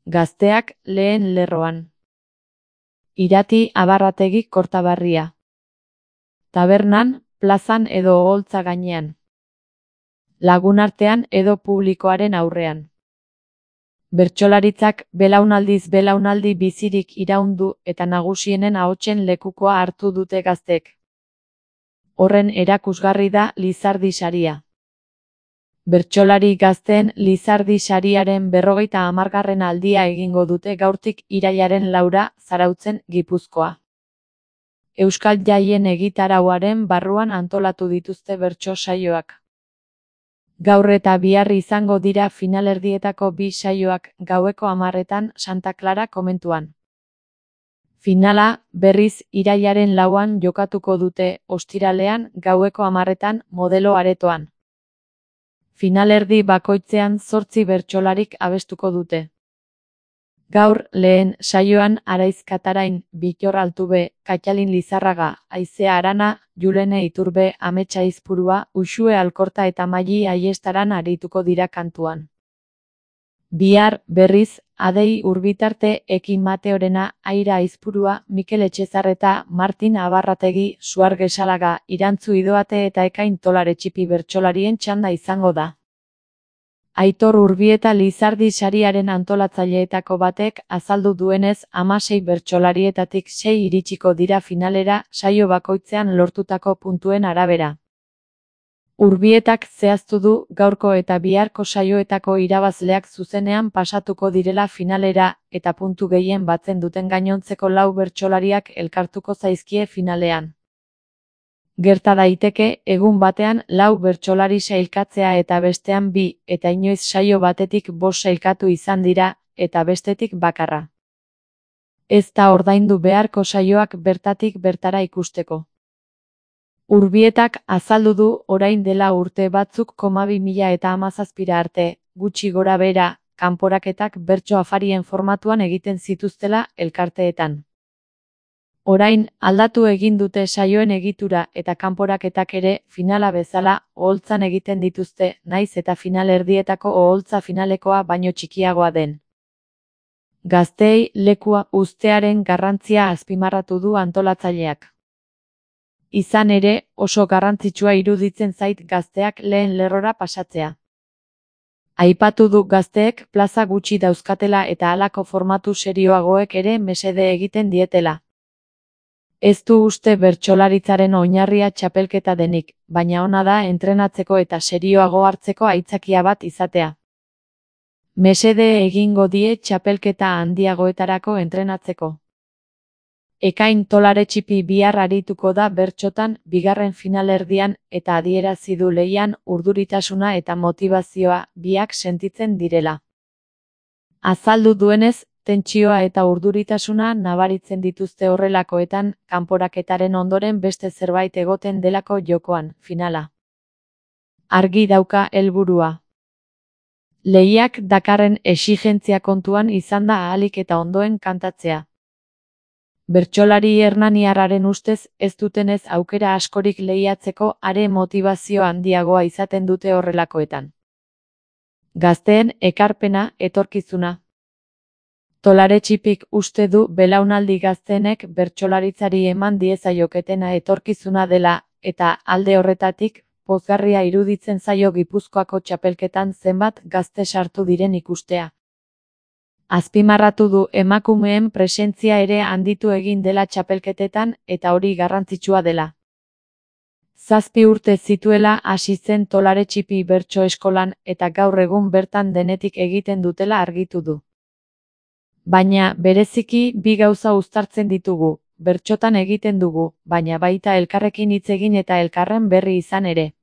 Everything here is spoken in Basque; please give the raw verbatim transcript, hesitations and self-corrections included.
Gazteak lehen lerroan. Irati Abarrategi Kortaberria. Tabernan, plazan edo oholtza gainean. Lagunartean edo publikoaren aurrean. Bertsolaritzak belaunaldiz belaunaldi bizirik iraundu eta nagusienen ahotsen lekukoa hartu dute gaztek. Horren erakusgarri da Lizardi saria. Bertsolari gazteen Lizardi sariaren berrogeita hamargarren aldia egingo dute gaurtik irailaren laura Zarautzen, Gipuzkoa. Euskal Jaien egitarauaren barruan antolatu dituzte bertso saioak. Gaur eta bihar izango dira finalerdietako bi saioak gaueko hamarretan Santa Clara komentuan. Finala, berriz, irailaren lauan jokatuko dute, ostiralean, gaueko hamarretan, Modelo aretoan. Finalerdi bakoitzean zortzi bertsolarik abestuko dute. Gaur, lehen, saioan Araiz Katarain, Bitor Altube, Katalin Lizarraga, Aizea Arana, Julene Iturbe, Ametsa Izpurua, Uxue Alkorta eta Maili Aiestaran arituko dira kantuan. Bihar, berriz, Adei Urbitarte, Ekin Mateorena, Aira Aizpurua, Mikel Etxezarreta, Martin Abarrategi, Suar Gesalaga, Irantzu Idoate eta Ekain Tolaretxipi bertsolarien txanda izango da. Aitor Urbieta Lizardi sariaren antolatzaileetako batek azaldu duenez hamasei bertsolarietatik sei iritsiko dira finalera saio bakoitzean lortutako puntuen arabera. Urbietak zehaztu du gaurko eta biharko saioetako irabazleak zuzenean pasatuko direla finalera eta puntu gehien batzen duten gainontzeko lau bertsolariak elkartuko zaizkie finalean. Gerta daiteke, egun batean lau bertsolari sailkatzea eta bestean bi, eta inoiz saio batetik bost sailkatu izan dira, eta bestetik bakarra. Ez da ordaindu beharko saioak bertatik bertara ikusteko. Urbietak azaldu du orain dela urte batzuk koma bi mila eta hamazazpira arte, gutxi gora bera, kanporaketak bertso afarien formatuan egiten zituztela elkarteetan. Orain, aldatu egin dute saioen egitura eta kanporaketak ere finala bezala oholtzan egiten dituzte, naiz eta finalerdietako oholtza finalekoa baino txikiagoa den. Gazteei lekua uztearen garrantzia azpimarratu du antolatzaileak. Izan ere, oso garrantzitsua iruditzen zait gazteak lehen lerrora pasatzea. Aipatu du gazteek plaza gutxi dauzkatela eta halako formatu serioagoek ere mesede egiten dietela. Ez du uste bertsolaritzaren oinarria txapelketa denik, baina ona da entrenatzeko eta serioago hartzeko aitzakia bat izatea. Mesede egingo die txapelketa handiagoetarako entrenatzeko. Ekain Tolaretxipi bihar arituko da bertsotan bigarren finalerdian eta adierazi du lehian urduritasuna eta motivazioa biak sentitzen direla. Azaldu duenez, tentsioa eta urduritasuna nabaritzen dituzte horrelakoetan, kanporaketaren ondoren beste zerbait egoten delako jokoan, finala. Argi dauka helburua. Lehiak dakarren exigentzia kontuan izan da ahalik eta ondoen kantatzea. Bertsolari hernaniarraren ustez ez dutenez aukera askorik lehiatzeko are motivazio handiagoa izaten dute horrelakoetan. Gazteen ekarpena, etorkizuna. Tolaretxipik uste du belaunaldi gazteenek bertsolaritzari eman diezaioketena etorkizuna dela, eta alde horretatik, pozgarria iruditzen zaio Gipuzkoako txapelketan zenbat gazte sartu diren ikustea. Azpimarratu du emakumeen presentzia ere handitu egin dela txapelketetan eta hori garrantzitsua dela. Zazpi urte zituela hasi zen Tolaretxipi bertso eskolan eta gaur egun bertan denetik egiten dutela argitu du. Baina, bereziki, bi gauza uztartzen ditugu, bertsotan egiten dugu, baina baita elkarrekin hitz egin eta elkarren berri izan ere.